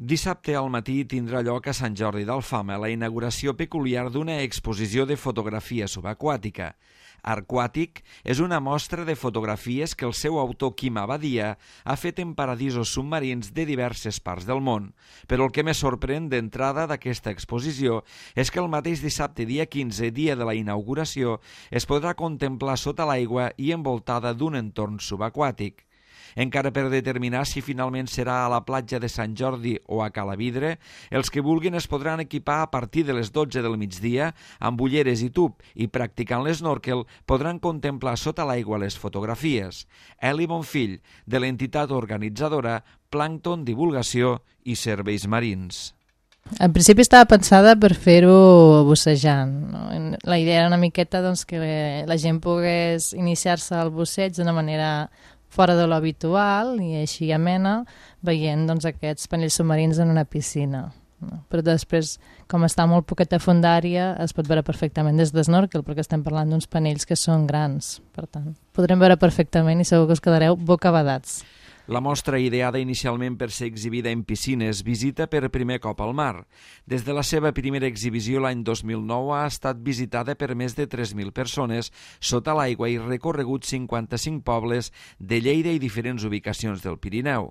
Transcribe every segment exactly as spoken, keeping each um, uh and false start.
Dissabte al matí tindrà lloc a Sant Jordi d'Alfama la inauguració peculiar d'una exposició de fotografia subaquàtica. Arquàtic és una mostra de fotografies que el seu autor Quim Abadia ha fet en paradisos submarins de diverses parts del món. Però el que més sorprèn d'entrada d'aquesta exposició és que el mateix dissabte dia quinze, dia de la inauguració, es podrà contemplar sota l'aigua i envoltada d'un entorn subaquàtic. Encara per determinar si finalment serà a la platja de Sant Jordi o a Calavidre, els que vulguin es podran equipar a partir de les dotze del migdia amb ulleres i tub i practicant l'esnòrquel podran contemplar sota l'aigua les fotografies. Eli Bonfill, de l'entitat organitzadora Plàncton Divulgació i Serveis Marins. En principi estava pensada per fer-ho bussejant. No? La idea era una miqueta doncs, que la gent pogués iniciar-se al busseig d'una manera fora de l'habitual i així amena, veient doncs, aquests panells submarins en una piscina. No? Però després, com està molt poqueta fondària, es pot veure perfectament des d'esnòrquel, perquè estem parlant d'uns panells que són grans. Per tant, podrem veure perfectament i segur que us quedareu bocabadats. La mostra, ideada inicialment per ser exhibida en piscines, visita per primer cop al mar. Des de la seva primera exhibició l'any dos mil nou ha estat visitada per més de tres mil persones sota l'aigua i recorregut cinquanta-cinc pobles de Lleida i diferents ubicacions del Pirineu.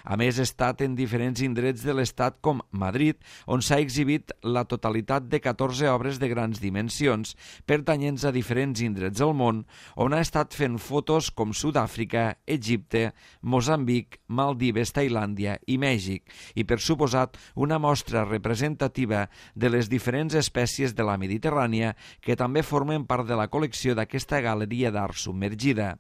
A més, ha estat en diferents indrets de l'estat com Madrid, on s'ha exhibit la totalitat de catorze obres de grans dimensions, pertanyents a diferents indrets del món, on ha estat fent fotos com Sud-àfrica, Egipte, Moçambic, Maldives, Tailàndia i Mèxic, i per suposat una mostra representativa de les diferents espècies de la Mediterrània que també formen part de la col·lecció d'aquesta galeria d'art submergida.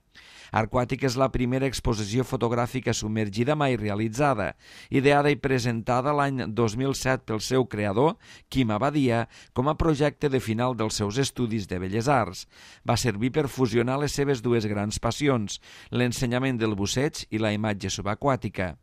Arquàtic és la primera exposició fotogràfica submergida mai realitzada, ideada i presentada l'any dos mil set pel seu creador, Quim Abadia, com a projecte de final dels seus estudis de Belles Arts. Va servir per fusionar les seves dues grans passions, l'ensenyament del busseig i la imatge subaquàtica.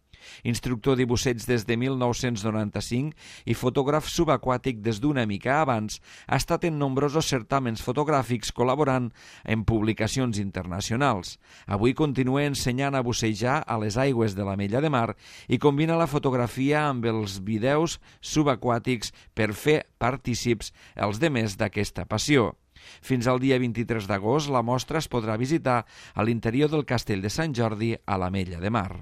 Instructor de busseig des de mil nou-cents noranta-cinc i fotògraf subaquàtic des d'una mica abans, ha estat en nombrosos certàmens fotogràfics col·laborant en publicacions internacionals. Avui continua ensenyant a bussejar a les aigües de l'Ametlla de Mar i combina la fotografia amb els vídeos subaquàtics per fer partícips els demés d'aquesta passió. Fins al dia vint-i-tres d'agost la mostra es podrà visitar a l'interior del Castell de Sant Jordi a l'Ametlla de Mar.